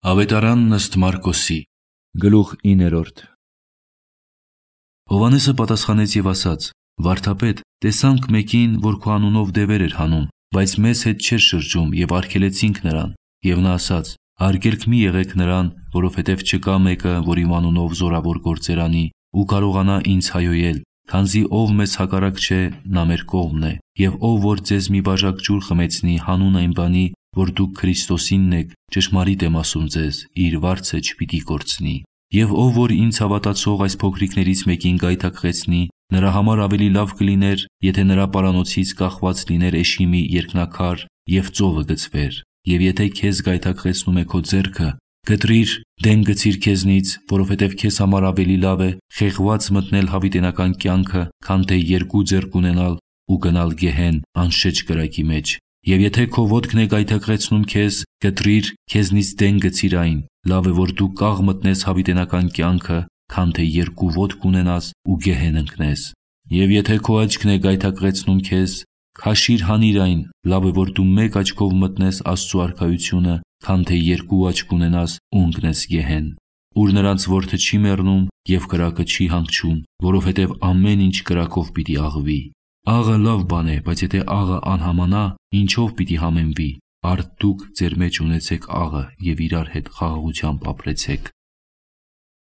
Ավետարանն ըստ Մարկոսի գլուխ 9 Հովհաննեսը պատասխանեց և ասաց. «Վարդապետ, տեսանք մեկին, որ քո անունով դևեր էր հանում, բայց մեզ հետ չէր շրջում և արգելեցինք նրան։ Եվ նա ասաց. արգելք մի եղեք նրան, որովհետև չկա մեկը, որ իմ անունով զորավոր գործեր անի ու կարողանա ինձ հայհոյել, քանզի ով մեզ հակառակ չէ, նա մեր կողմն է, և ով որ ձեզ մի բաժակ ջուր խմեցնի հանուն այն բանի, որ դուք Քրիստոսինն եք, ճշմարիտ եմ ասում ձեզ, իր վարձը չպիտի կորցնի։ Եվ ով որ ինձ հավատացող այս փոքրիկներից մեկին գայթակղեցնի, նրա համար ավելի լավ կլիներ, եթե նրա պարանոցից կախված լիներ էշի մի երկնաքար և ծովը գցվեր։ Եվ եթե քեզ գայթակղեցնում է քո ձեռքը, կտրիր, դեն գցիր քեզնից, որովհետև քեզ համար ավելի լավ է խեղված մտնել հավիտենական կյանքը, քան թե երկու ձեռք ունենալ ու գնալ գեհեն անշեջ կրակի մեջ։ Եվ եթե քո ոտքն է գայթակղեցնում քեզ, կտրիր, քեզնից դեն գցիր այն, լավ է, որ դու կաղ մտնես հավիտենական կյանքը, քան թե երկու ոտք ունենաս ու գեհեն ընկնես։ Եվ եթե քո աչքն է գայթակղեցնում քեզ, քաշիր հանիր այն, լավ է, որ դու մեկ աչքով մտնես Աստծու արքայությունը, քան թե երկու աչք ունենաս ու ընկնես գեհեն, ուր նրանց որդը չի մեռնում և կրակը չի հանգչում, որովհետև ամեն ինչ կրակով պիտի աղվի։ Աղը լավ բան է, բայց եթե աղը անհամանա, ինչով պիտի համեմվի։ Արդ դուք ձեր մեջ ունեցեք աղը և իրար հետ խաղաղությամբ ապրեցեք։